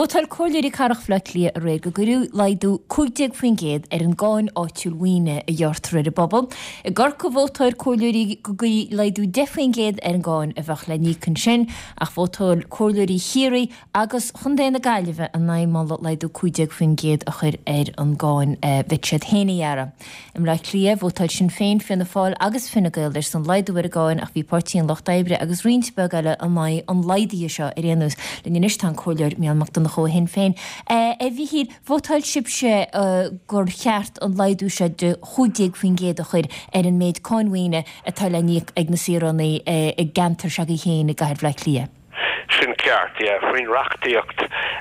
Vótáil Comhairleoirí Cathrach Bhaile Átha Cliath aréir go gcuirfí laghdú 15% ar an gcáin áitiúil mhaoine a ghearrtar ar an bpobal. I gCorcaigh vótáil Comhairleoirí go gcuirfí laghdú 10% ar an gcáin a bheadh le n-íoc ansin, ach vótáil Comhairleoirí Chiarraí agus Chontae na Gaillimhe in aghaidh moladh laghdú 15% a chur ar an gcáin a bheadh siad féin a ghearradh. I mBleá Cliath, vótáil Sinn Féin, Fianna Fáil agus Fine Gael ar son laghdú ar an gcáin ach bhí Páirtí an Lucht Oibre agus roinnt bheag eile in aghaidh an laghdaithe seo ar aon nós. Linn anois tá an Comhairleoir Mícheál Mac Donncha ó Shinn Féin. A Mhíchíl, vótáil sibhse gur cheart an laghdú seo de 15% a chur ar an méid cáin mhaoine atá le n-íoc ag na saoránaigh i gceantar s'agaibh féin i gcathair Bhaile Átha Cliath. Sin ceart, yeah. Faoin reachtaíocht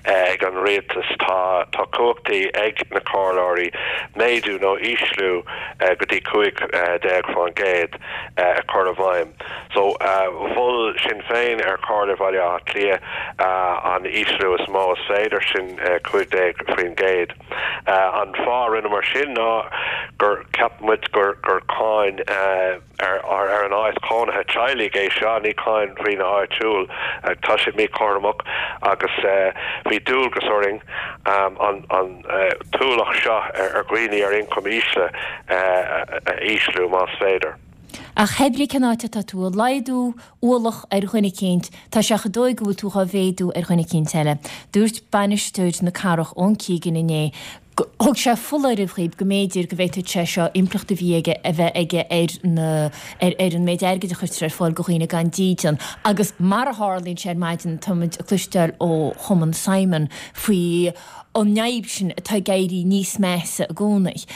ag an rialtas tá tá cumhachtaí ag na comhairleoirí méadú nó ísliú go dtí 15% a chur i bhfeidhm. So mhol Sinn Féin ar Chomhairle Bhaile Átha Cliath an ísliú is mó is féidir, sin 15%. An fáth a rinneamar sin ná gur cheap muid gur gur cáin ar an áit chónaithe teaghlaigh é seo, ní cáin mhaoine áitiúil. Tá sé míchothromach agus bhí dualgas orainn an t-ualach seo ar dhaoine ar ioncam ísle a ísliú más féidir. Ach hé brí cén áit atá tú ag laghdú ualach ar dhuine eicínt, tá sé chomh dóigh go bhfuil tú dhá mhéadú ar dhuine eicínt eile. Dúirt bainisteoir na cathrach Eoin Keegan inné Thug sé foláireamh dhaoib go mb'fhéidir go bhféadfadh sé seo impleacht a bhí aige a bheith aige ar na ar ar an méid airgid a chuirtear ar fáil go dhaoine gan dídean agus mar a tharlaíonn sé ar maidin táimid ag cloisteáil ó Chumann Simon faoi an fhadhb sin atá ag éirí níos measa i gcónaí.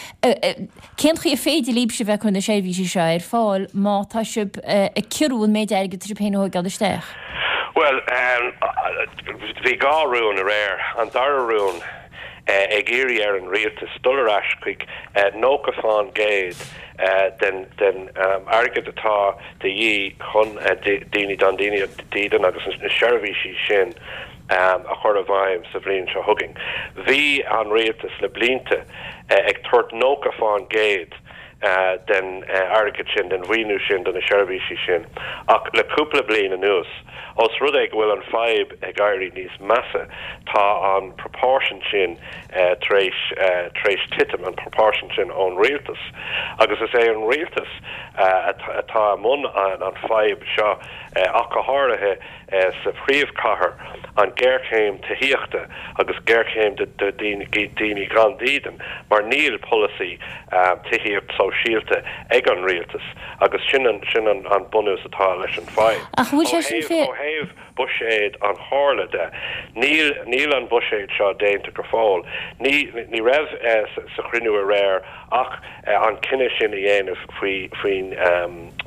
Cén chaoi ar féidir libhse bheith ag cur na seirbhísí seo ar fáil má tá sibh ag ciorrú an méid airgid atá sibh féin a thóigeáil isteach? Bhuel, bhí dhá rún aréir. An dara rún. ag iarraidh ar an rialtas dul ar ais chuig 90% den airgead atá de dhíth chun daoine gan dídean agus na seirbhísí sin a chur i bhfeidhm sa bhliain seo chugainn. Bhí an rialtas le blianta ag tabhairt 90% den airgead sin, den mhaoiniú sin do na seirbhísí sin. Ach le cúpla bliain anuas, ós rud é go bhfuil an fadhb ag éirí níos measa, tá an proportion sin tar éis tar éis titim, an proportion sin ón rialtas. Agus is é an rialtas atá i mbun an fadhb seo ach go háirithe. sa phríomhchathair, an géarchéim tithíochta agus géarchéim do daoine gan dídean mar níl polasaí tithíocht sóisialta ag an rialtas agus sin an sin an bunús atá leis an fadhb. Ach an bhfuil sé sin fé. Ó thaobh buiséad an Chomhairle de, níl níl an buiséad seo déanta go fóill. Ní ní raibh sa chruinniú aréir ach an cinneadh sin a dhéanamh faoi faoin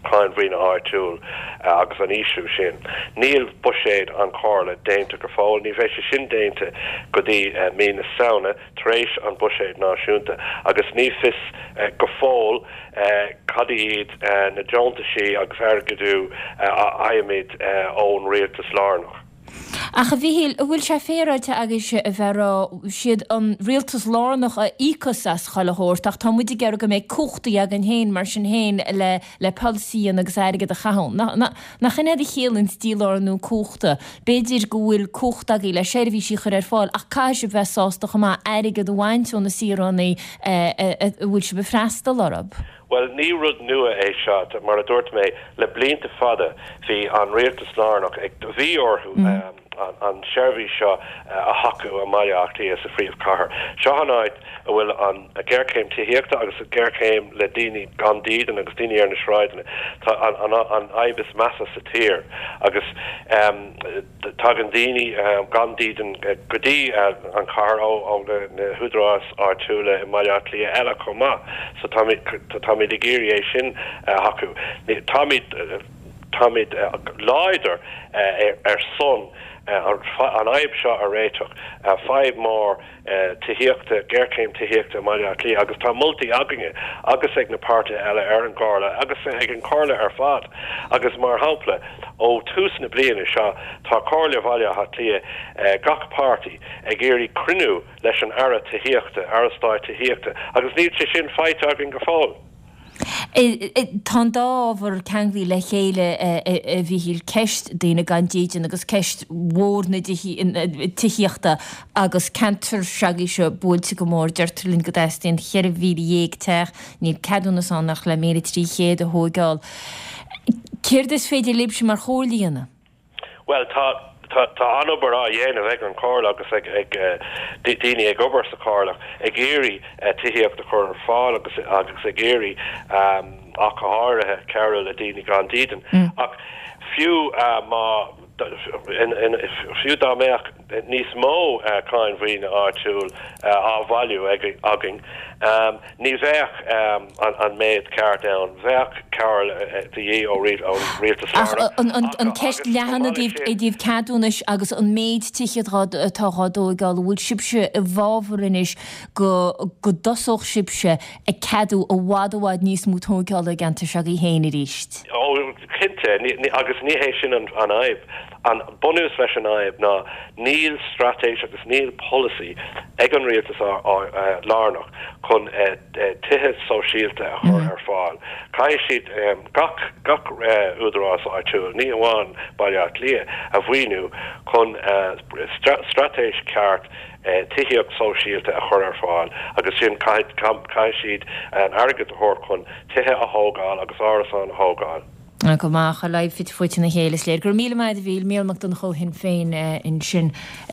cháin mhaoine áitiúil agus an ísliú sin. Níl buiséad an Chomhairle déanta go fóill. Ní bheidh sé sin déanta go dtí mí na Samhna, tar éis an buiséad náisiúnta, agus ní fios go fóill cad iad na deontaisí agus airgeadú a fhaighimid ón rialtas lárnach. Ach a Mhichíl, an bhfuil sé féaráilte agaibhse a bheith ag rá, siad an rialtas lárnach a íocfas as chuile shórt ach tá muid ag iarraidh go mbeidh cumhachtaí againn féin mar sin féin le le polasaí a dhéanamh agus airgead a chaitheamh. Nach in é a chiallaíonns dílárnú cumhachta? B'fhéidir go bhfuil cumhacht agaibh le seirbhísí a chur ar fáil ach caithfidh sibh bheith sásta chomh maith airgead a bhaint ó na saoránaigh a bhfuil sibh ag freastal orthu. Bhuel, ní rud nua é seo. Mar a dúirt mé, le blianta fada bhí an rialtas lárnach ag, bhí orthu an tseirbhís seo a thacú i mBaile Átha Cliath, sa phríomhchathair. Seo an áit a bhfuil an ghéarchéim tithíochta agus an ghéarchéim le daoine gan dídean agus daoine ar na sráideanna. Tá an fhadhb is measa sa tír agus. Tagann daoine gan dídean go dtí an chathair ó na húdaráis áitiúla i mBaile Átha Cliath eile chomh maith so táimid ag iarraidh é sin a thacú. Táimid táimid láidir ar son an fhadhb seo a réiteach, fadhb mór tithíochta, géarchéim tithíochta i mBaile Átha Cliath agus tá moltaí againne agus ag na páirtithe eile ar an gComhairle agus ag an Chomhairle ar fad agus mar shampla ó tús na bliana seo tá Comhairle Bhaile Átha Cliath, gach páirtí, ag iarraidh cruinniú leis an Aire Tithíochta, Aire Stáit Tithíochta agus níl sé sin faighte againn go fóill. Tá an dá ábhar ceanglaithe le chéile, a Mhíchíl, ceist daoine gan dídean agus ceist mhór na tithíochta agus ceantar s'agaibhse buailte go mór. Deirtear linn go dteastaíonn 14,000 teach, níl ceadúnas ann ach le 1,300 a thóigeáil. Céard is féidir libhse mar chomhairle a dhéanamh? Bhuel, tá, tá, tá an-obair á dhéanamh ag an Chomhairle agus ag, ag daoine ag obair sa Chomhairle ag iarraidh tithíocht a chur ar fáil agus, agus ag iarraidh, ach go háirithe, cabhrú le daoine gan dídean. Ach fiú má, fiú dá mbeadh níos mó cáin mhaoine áitiúil á bhailiú againn, ní bheadh an méid ceart ann. Bheadh cabhair de dhíth ó rialtas lárnach. Ach an ceist leathan i dtaobh ceadúnais agus an méid tithe atá dhá dtóigeáil, an bhfuil sibhse i bhfabhar anois go dtosódh sibhse ag ceadú i bhfad i bhfad níos mó tóigeála i gceantar s'agaibh féin arís? Ó, cinnte, agus ní hé sin an fhadhb. An bunús leis an fhadhb ná níl straitéis agus níl polasaí ag an rialtas lárnach chun tithe sóisialta a chur ar fáil. Caithfidh siad gach gach údarás áitiúil, ní hamháin Baile Átha Cliath, a mhaoiniú chun straitéis ceart tithíocht sóisialta a chur ar fáil agus sin caithfidh siad an airgead a thabhairt chun tithe a thógáil agus árasáin a thógáil. Go maith, chuile fhite fuaite ina chéile is léir. Go raibh míle maith agat a Mhíchíl, Mícheál Mac Donncha ó Shinn Féin ansin.